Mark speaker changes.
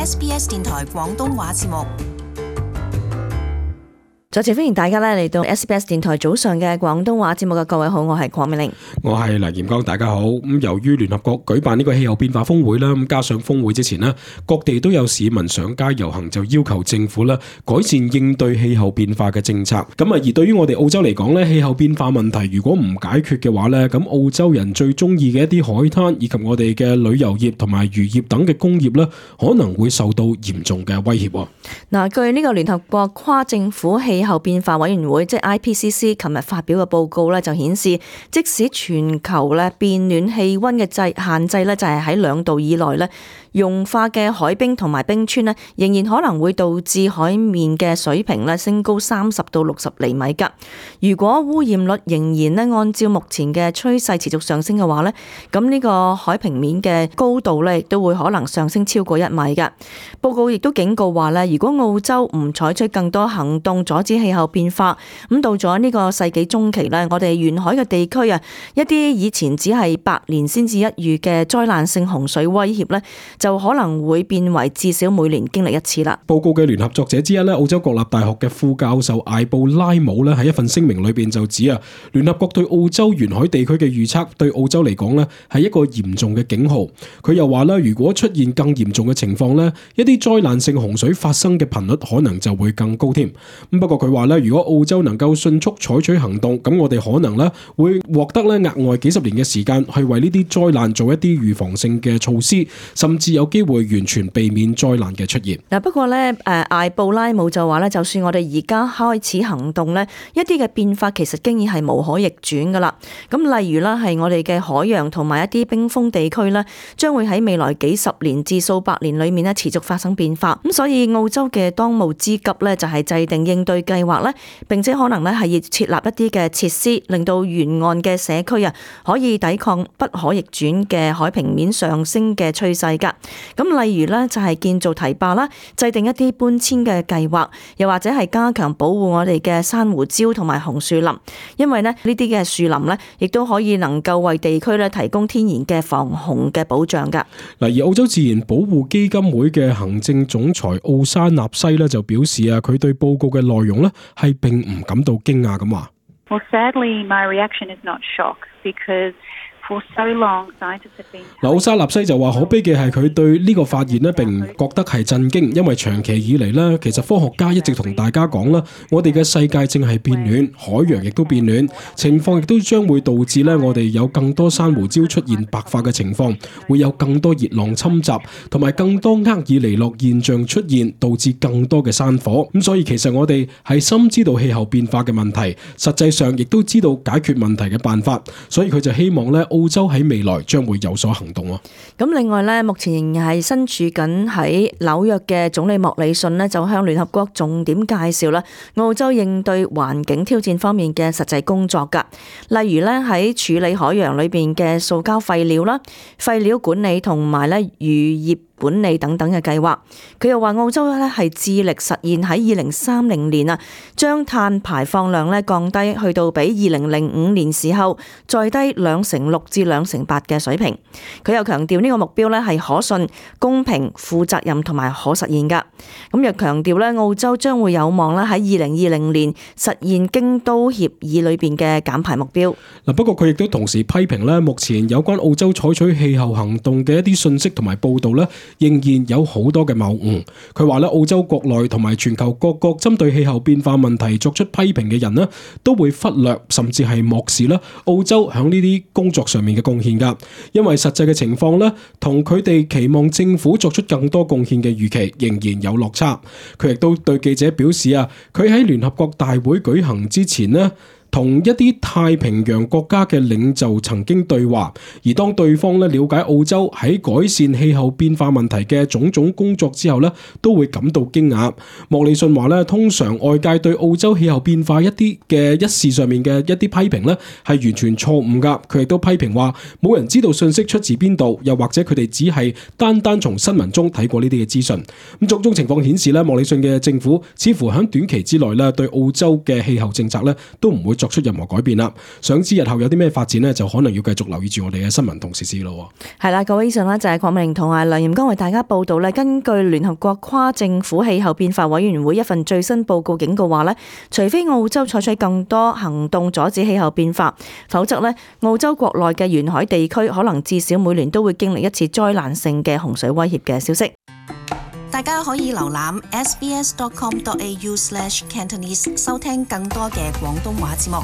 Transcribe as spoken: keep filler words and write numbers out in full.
Speaker 1: S B S 電台廣東話節目。
Speaker 2: 再次歡迎大家咧嚟到 S B S 電台早上嘅廣東話節目嘅各位好，我係鄺美玲，
Speaker 3: 我係黎炎剛，大家好。咁由於聯合國舉辦呢個氣候變化峰會啦，咁加上峰會之前呢，各地都有市民上街遊行，就要求政府啦改善應對氣候變化嘅政策。咁啊，而對於我哋澳洲嚟講咧，氣候變化問題如果唔解決嘅話咧，咁澳洲人最中意嘅一啲海灘以及我哋嘅旅遊業同埋漁業等嘅工業咧，可能會受到嚴重嘅威脅。
Speaker 2: 嗱，據呢個聯合國跨政府氣氣候變化委員會即係 I P C C 琴日發表嘅報告咧，就顯示即使全球咧變暖氣溫嘅制限制咧，就係喺兩度以內咧，融化嘅海冰同埋冰川咧，仍然可能會導致海面嘅水平咧升高三十到六十厘米噶。如果污染率仍然咧按照目前嘅趨勢持續上升嘅話咧，咁呢個海平面嘅高度咧亦都會可能上升超過一米噶。報告亦都警告話咧，如果澳洲唔採取更多行動阻止氣候變化，咁到咗呢個世紀中期咧，我哋沿海嘅地區啊，一啲以前只係百年先至一遇嘅災難性洪水威脅咧，就可能會變為至少每年經歷一次啦。
Speaker 3: 報告嘅聯合作者之一咧，澳洲國立大學嘅副教授艾布拉姆咧喺一份聲明裏邊就指啊，聯合國對澳洲沿海地區嘅預測對澳洲嚟講咧係一個嚴重嘅警號。佢又話咧，如果出現更嚴重嘅情況咧，一啲災難性洪水發生嘅頻率可能就會更高添。咁不過佢話咧，如果澳洲能夠迅速採取行動，咁我哋可能咧會獲得咧額外幾十年嘅時間去為呢啲災難做一啲預防性嘅措施，甚至有機會完全避免災難嘅出現。
Speaker 2: 嗱，不過咧，誒艾布拉姆就話咧，就算我哋而家開始行動咧，一啲嘅變化其實經已係無可逆轉噶啦。咁例如啦，係我哋嘅海洋同埋一啲冰封地區咧，將會喺未來幾十年至數百年裏面咧持續發生變化。咁所以澳洲嘅當務之急咧，就係制定應對計劃咧，並且可能咧係要設立一啲嘅設施，令到沿岸嘅社區啊可以抵抗不可逆轉嘅海平面上升嘅趨勢噶。咁例如咧就係建造堤壩啦，制定一啲搬遷嘅計劃，又或者係加強保護我哋嘅珊瑚礁同埋紅樹林，因為咧呢啲嘅樹林咧亦都可以能夠為地區咧提供天然嘅防洪嘅保障噶。
Speaker 3: 嗱，而澳洲自然保護基金會嘅行政總裁奧沙納西咧就表示啊，佢對報告嘅內容咧係並唔感到驚訝咁話。
Speaker 4: Well, sadly, my reaction is not shock because for so long scientists have been.
Speaker 3: 嗱，奧沙納西就話可悲嘅係佢對呢個發現咧並唔覺得係震驚，因為長期以嚟咧，其實科學家一直同大家講啦，我哋嘅世界正係變暖，海洋亦都變暖，情況亦都將會導致咧我哋有更多珊瑚礁出現白化嘅情況，會有更多熱浪侵襲，同埋更多厄爾尼諾現象出現，導致更多嘅山火。咁所以其實我哋係深知道氣候變化嘅問題，實際上亦都知道解決問題嘅辦法，所以佢就希望咧澳洲喺未來將會有所行動喎。
Speaker 2: 咁另外咧，目前仍然係身處緊喺紐約嘅總理莫里遜呢，就向聯合國重點介紹啦澳洲應對環境挑戰方面嘅實際工作噶。例如咧喺處理海洋裏邊嘅塑膠廢料啦、廢料管理同埋咧漁業管理等等嘅計劃。佢又話澳洲咧係致力實現喺二零三零年啊，將碳排放量咧降低去到比二零零五年時候再低兩成六至兩成八嘅水平。佢又強調呢個目標咧係可信、公平、負責任同埋可實現噶。咁又強調咧澳洲將會有望咧喺二零二零年實現京都協議裏邊嘅減排目標。
Speaker 3: 嗱，不過佢亦都同時批評咧，目前有關澳洲採取氣候行動嘅一啲信息同埋報道咧，仍然有好多嘅謬誤。佢話咧，澳洲國內同埋全球各國針對氣候變化問題作出批評嘅人咧，都會忽略甚至係漠視啦澳洲響呢啲工作上面嘅貢獻噶。因為實際嘅情況咧，同佢哋期望政府作出更多貢獻嘅預期仍然有落差。佢亦都對記者表示啊，佢喺聯合國大會舉行之前咧，同一啲太平洋國家嘅領袖曾經對話，而當對方咧了解澳洲喺改善氣候變化問題嘅種種工作之後咧，都會感到驚訝。莫里遜話咧，通常外界對澳洲氣候變化一啲嘅一事上面嘅一啲批評咧，係完全錯誤㗎。佢亦都批評話，冇人知道信息出自邊度，又或者佢哋只係單單從新聞中睇過呢啲嘅資訊。咁種種情況顯示咧，莫里遜嘅政府似乎喺短期之內咧，對澳洲嘅氣候政策咧都唔會作出任何改變啦。想知日後有啲咩發展呢，就可能要繼續留意住我哋嘅新聞同時事咯。
Speaker 2: 係啦，各位，以上呢就係鄺美玲同埋梁炎剛為大家報道咧。根據聯合國跨政府氣候變化委員會一份最新報告警告話咧，除非澳洲採取更多行動阻止氣候變化，否則咧澳洲國內嘅沿海地區可能至少每年都會經歷一次災難性嘅洪水威脅嘅消息。
Speaker 1: 大家可以瀏覽 s b s dot com dot a u slash cantonese 收聽更多嘅廣東話節目。